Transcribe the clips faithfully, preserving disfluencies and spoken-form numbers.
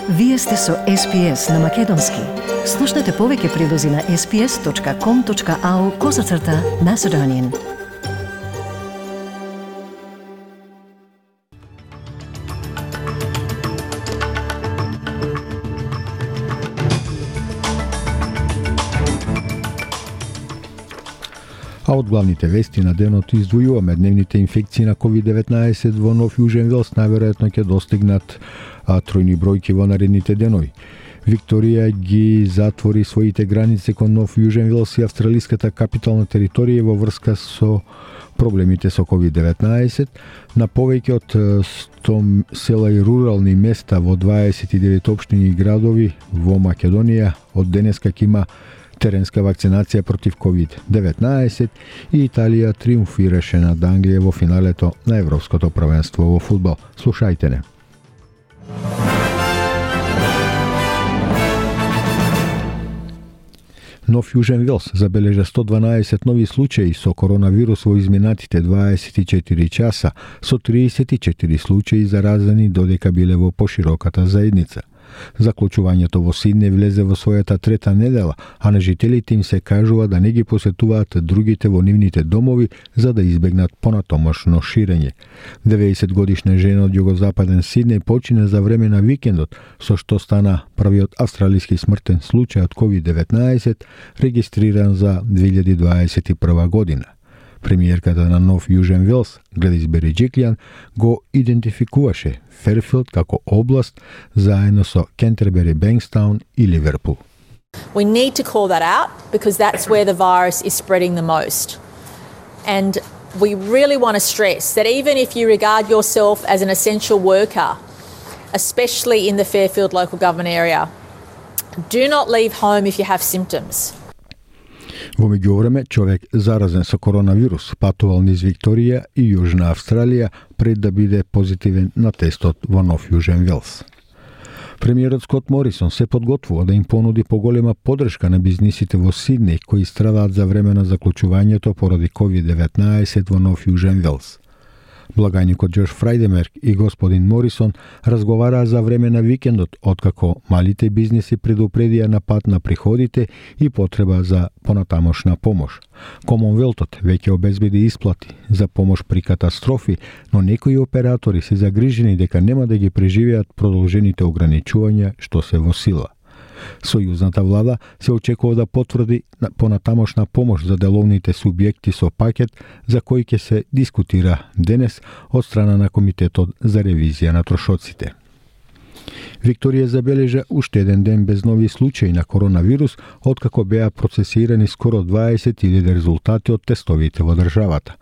Вие сте со Ес Би Ес на Македонски. Слушнете повеќе прилози на ес би ес точка ком точка ау козацрта Macedonian. А од главните вести на денот издвојуваме дневните инфекции на ковид деветнаесет во Нов Јужен Велс најверојатно ќе достигнат а, тројни бројки во наредните денови. Викторија ги затвори своите граници кон Нов Јужен Велс и австралиската капитална територија во врска со проблемите со ковид деветнаесет. На повеќе од сто села и рурални места во дваесет и девет општини и градови во Македонија од денеска ќе има теренска вакцинација против ковид деветнаесет и Италија триумфираше над Англија во финалето на Европското првенство во фудбал. Слушајте не. Нов Јужен Велс забележа сто дванаесет нови случаи со коронавирус во изминатите дваесет и четири часа, со триесет и четири случаи заразени додека биле во пошироката заедница. Заклучувањето во Сиднеј влезе во својата трета недела, а на жителите им се кажува да не ги посетуваат другите во нивните домови за да избегнат понатомошно ширење. деветдесет годишна жена од југозападен Сиднеј почина за време на викендот, со што стана првиот австралиски смртен случај од ковид деветнаесет регистриран за две илјади дваесет и прва година. Премиерката на Нов Јужен Велс, Гледис Береџиклјан, го идентификуваше Ферфилд како област заедно со Кентербери, Бенкстаун и Ливерпул. We need to call that out because that's where the virus is spreading the most. And we really want to stress that even if you regard yourself as an essential worker, especially in the Fairfield local government area, do not leave home if you have symptoms. Во меѓувреме, човек заразен со коронавирус патувал низ Викторија и Јужна Австралија пред да биде позитивен на тестот во Нов Јужен Велс. Премиерот Скот Морисон се подготвува да им понуди поголема поддршка на бизнисите во Сиднеј кои страдат за време на заклучувањето поради ковид деветнаесет во Нов Јужен Велс. Благајникот Џош Фрајдемерк и господин Морисон разговараа за време на викендот, откако малите бизниси предупредија на пат на приходите и потреба за понатамошна помош. Комонвелтот веќе обезбеди исплати за помош при катастрофи, но некои оператори се загрижени дека нема да ги преживеат продолжените ограничувања што се во сила. Сојузната влада се очекува да потврди понатамошна помош за деловните субјекти со пакет за кој ќе се дискутира денес од страна на Комитетот за ревизија на трошоците. Викторија забележа уште еден ден без нови случаи на коронавирус, откако беа процесирани скоро дваесет илјади резултати од тестовите во државата.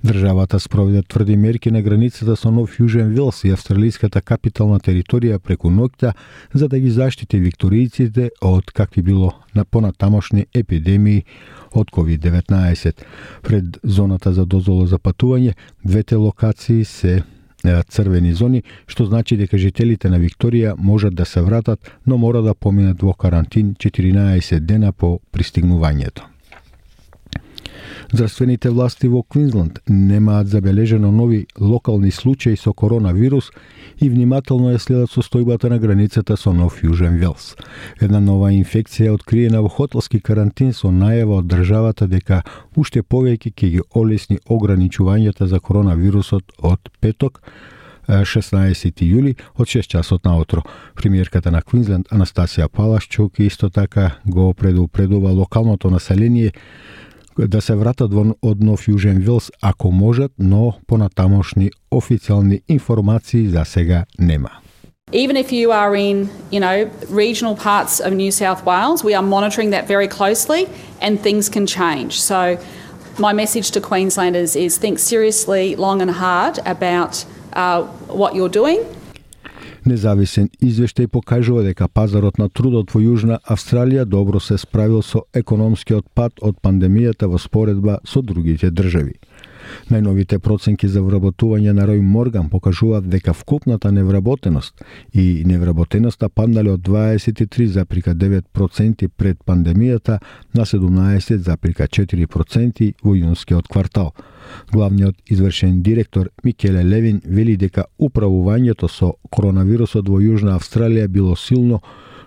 Државата спроведе тврди мерки на границата со Нов Јужен Велс и австралиската капитална територија преку ноќта за да ги заштити викторијците од какви било на понатамошни епидемии од ковид деветнаесет. Пред зоната за дозвола за патување, двете локации се црвени зони, што значи дека жителите на Викторија можат да се вратат, но мора да поминат во карантин четиринаесет дена по пристигнувањето. Здравствените власти во Квинсленд немаат забележено нови локални случаи со коронавирус и внимателно ја следат состојбата на границата со Нов Јужен Велс. Една нова инфекција е откриена во хотелски карантин со најава од државата дека уште повеќе ќе ги олесни ограничувањата за коронавирусот од петок, шеснаесети јули од шест часот наутро. Премиерката на Квинсленд Анастасија Палашчук исто така го предупредува локалното население да се вратат во од Нов Јужен Велс ако можат, но понатамошни официјални информации за сега нема. Even if you are in, you know, regional parts of New South Wales, we are monitoring that very closely and things can change. So my message to Queenslanders is think seriously, long and hard about uh, what you're doing. Независен извештај покажува дека пазарот на трудот во Јужна Австралија добро се справил со економскиот пат од пандемијата во споредба со другите држави. Најновите проценки за вработување на Рој Морган покажуваат дека вкупната невработеност и невработеноста паднале од дваесет и три запирка девет проценти пред пандемијата на седумнаесет запирка четири проценти во јунскиот квартал. Главниот извршен директор Микеле Левин вели дека управувањето со коронавирусот во Јужна Австралија било силно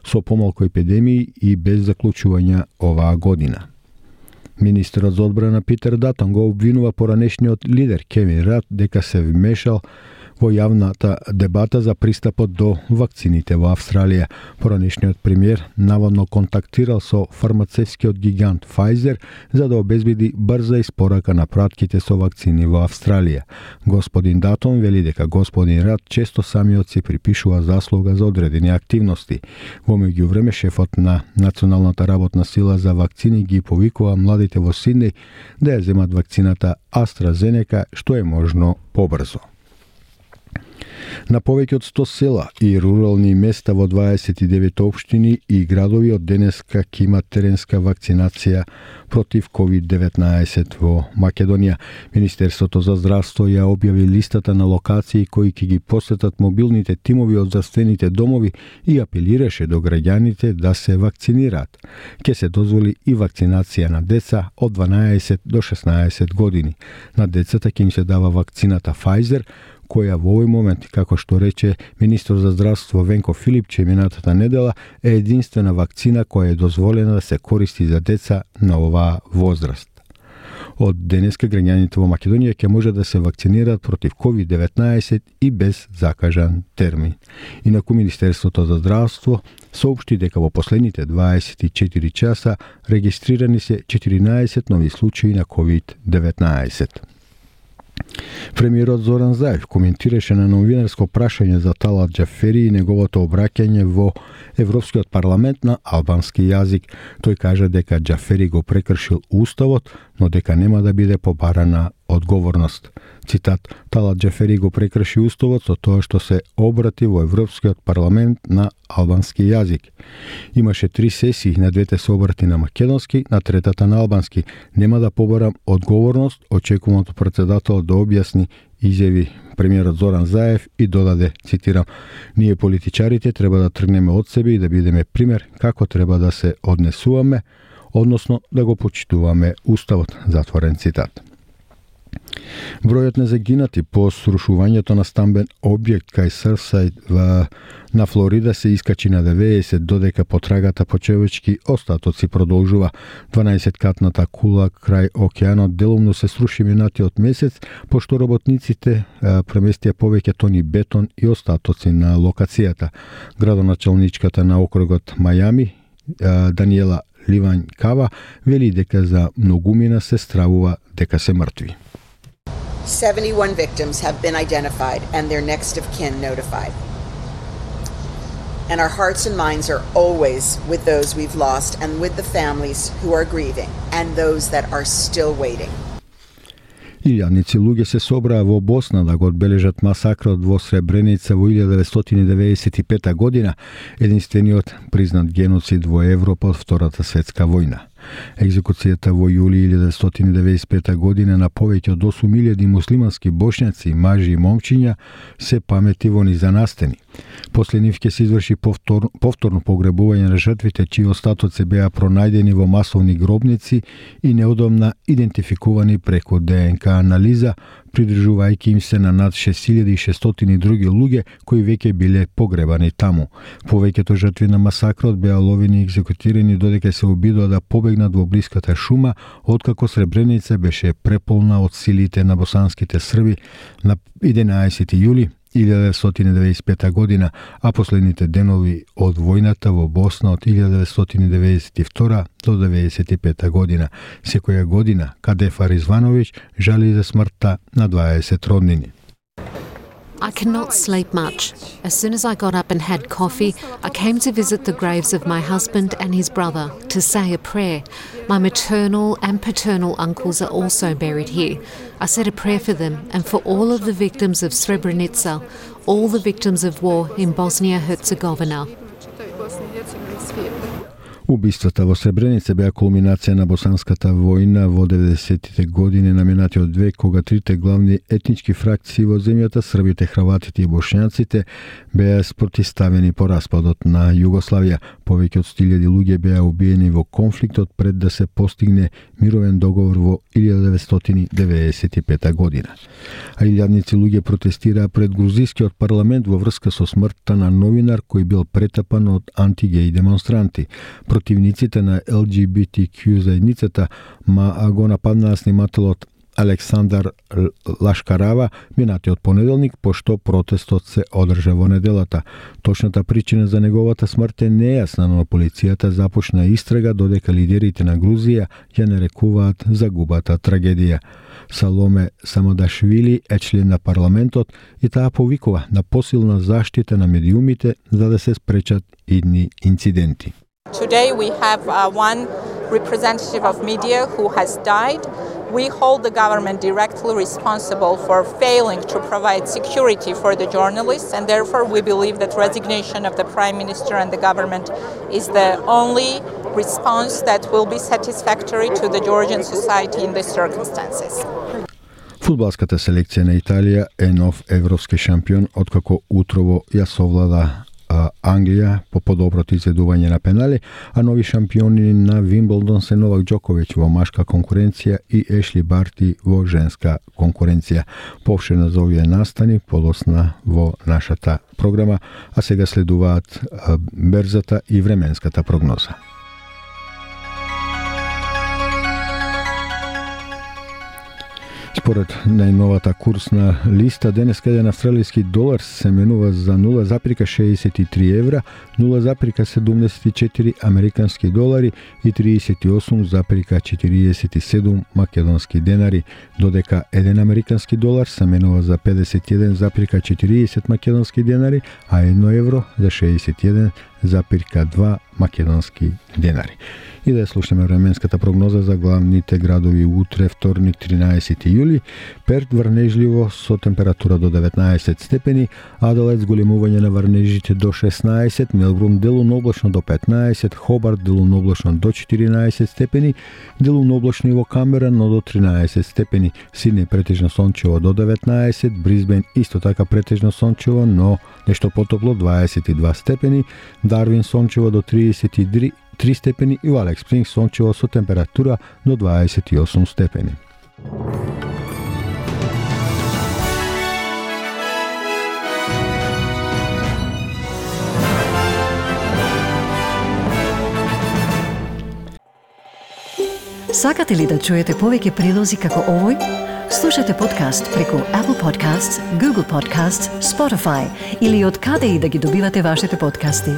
со помалку епидемии и без заклучувања оваа година. Министерот за одбрана Питер Датон го обвинува поранешниот лидер Кевин Рад дека се вмешал во јавната дебата за пристапот до вакцините во Австралија. Поранешниот премиер наводно контактирал со фармацевскиот гигант Pfizer за да обезбеди брза испорака на пратките со вакцини во Австралија. Господин Датон вели дека господин Рад често самиот си припишува заслуга за одредени активности. Во меѓувреме шефот на Националната работна сила за вакцини ги повикува младите во Сиднеј да ја земат вакцината AstraZeneca што е можно побрзо. На повеќе од сто села и рурални места во дваесет и девет општини и градови од денеска ќе имат теренска вакцинација против ковид деветнаесет во Македонија. Министерството за здравство ја објави листата на локации кои ќе ги посетат мобилните тимови од здравствените домови и апелираше до граѓаните да се вакцинираат. Ќе се дозволи и вакцинација на деца од дванаесет до шеснаесет години. На децата ќе им се дава вакцината Pfizer, која во овој момент, како што рече министр за здравство Венко Филипче минатата недела, е единствена вакцина која е дозволена да се користи за деца на оваа возраст. Од денеска граѓаните во Македонија ќе може да се вакцинираат против ковид деветнаесет и без закажан термин. Инаку Министерството за здравство соопшти дека во последните дваесет и четири часа регистрирани се четиринаесет нови случаи на ковид деветнаесет. Премиерот Зоран Заев коментираше на новинарско прашање за Талат Џафери и неговото обраќање во Европскиот парламент на албански јазик. Тој кажа дека Џафери го прекршил уставот, но дека нема да биде побарана одговорност. Цитат: Талат Џафери го прекрши уставот со тоа што се обрати во Европскиот парламент на албански јазик. Имаше три сесии, на двете се обрати на македонски, на третата на албански. Нема да побарам одговорност, очекувам од претседателот да објасни, изјави премиерот Зоран Заев и додаде, цитирам: ние политичарите треба да тргнеме од себе и да бидеме пример како треба да се однесуваме, односно да го почитуваме уставот, затворен цитат. Бројот на загинати по срушувањето на стамбен објект кај Сърфсайд на Флорида се искачи на деветдесет, додека потрагата по човечки остатоци продолжува. дванаесеткатната кула крај океанот делумно се сруши минатиот месец, пошто работниците а, преместија повеќе тони бетон и остатоци на локацијата. Градоначалничката на округот Мајами, а, Даниела Ливањ Кава, вели дека за многумина се стравува дека се мртви. seventy-one victims have been identified and their next of kin notified. And our hearts and minds are always with those we've lost and with the families who are grieving and those that are still waiting. Илјадници луѓе се собраа во Босна да го одбележат масакрот во Сребреница во илјада деветстотини деветдесет и пета година, единствениот признат геноцид во Европа од Втората светска војна. Екзекуцијата во јули илјада деветстотини деветдесет и пета година на повеќе од осум илјади муслимански бошњаци, мажи и момчиња се памети во низанастени. После нив ќе се изврши повтор, повторно погребување на жртвите чии остатоци беа пронајдени во масовни гробници и неодамна идентификувани преку ДНК анализа, придржувајќи им се на над шест илјади и шестстотини други луѓе кои веќе биле погребани таму. Повеќето жртви на масакрот беа ловени и екзекутирани додека се обидоа да побегнат во блиската шума, откако Сребреница беше преполна од силите на босанските срби на единаесети јули илјада деветстотини деветдесет и пета година, а последните денови од војната во Босна од илјада деветстотини деветдесет и втора до деветдесет и пета година. Секоја година Кадефа Ризвановиќ жали за смртта на дваесет роднини. I cannot sleep much. As soon as I got up and had coffee, I came to visit the graves of my husband and his brother to say a prayer. My maternal and paternal uncles are also buried here. I said a prayer for them and for all of the victims of Srebrenica, all the victims of war in Bosnia-Herzegovina. Убиствата во Сребреница беа кулминација на босанската војна во деветдесеттите години на минатиот век, кога трите главни етнички фракции во земјата, србите, храватите и бошњаците, беа спротивставени по распадот на Југославија. Повеќе од сто илјади луѓе беа убиени во конфликтот пред да се постигне мировен договор во илјада деветстотини деветдесет и пета година. А илјадници луѓе протестираа пред грузискиот парламент во врска со смртта на новинар кој бил претапан од антигеј демонстранти. Противниците на Ел Џи Би Ти Ку заедницата ма го нападнаа снимателот Александар Лашкарава минатиот понеделник, пошто протестот се одржа во неделата. Точната причина за неговата смрт е нејасна, но полицијата започна истрага додека лидерите на Грузија ја нарекуваат загубата трагедија. Саломе Самадашвили е член на парламентот и таа повикува на посилна заштита на медиумите за да се спречат идни инциденти. Today we have uh, one representative of media who has died. We hold the government directly responsible for failing to provide security for the journalists, and therefore we believe that resignation of the Prime Minister and the government is the only response that will be satisfactory to the Georgian society in these circumstances. Фудбалската селекција на Италија е нов европски шампион откако утрово ја совлада Англија по подоброто изведување на пенали, а нови шампиони на Вимблдон се Новак Џоковиќ во машка конкуренција и Ешли Барти во женска конкуренција. Повширно за овие настани полосна во нашата програма, а сега следуваат берзата и временската прогноза. Според најновата курсна листа, денеска еден австралиски долар се менува за нула запирка шеесет и три евра, нула запирка седумдесет и четири американски долари и триесет и осум запирка четириесет и седум македонски денари, додека еден американски долар се менува за педесет и еден запирка четириесет македонски денари, а едно евро за шеесет и еден запирка два македонски денари. И да слушаме временската прогноза за главните градови утре, вторник, тринаесети јули. Перт врнежливо со температура до деветнаесет степени, Аделаид зголемување на врнежите до шеснаесет, Мелбурн делумно облачно до петнаесет, Хобарт делумно облачно до четиринаесет степени, делумно облачно и во Камбера, но до тринаесет степени, Сиднеј претежно сончево до деветнаесет, Брисбен исто така претежно сончево, но нешто потопло дваесет и два степени, Дарвин сончево до триесет и три степени и во Алекс Спрингс сончево со температура до дваесет и осум степени. Сакате ли да чуете повеќе прилози како овој? Слушате подкаст преку Apple Podcasts, Google Podcasts, Spotify или од каде и да ги добивате вашите подкасти.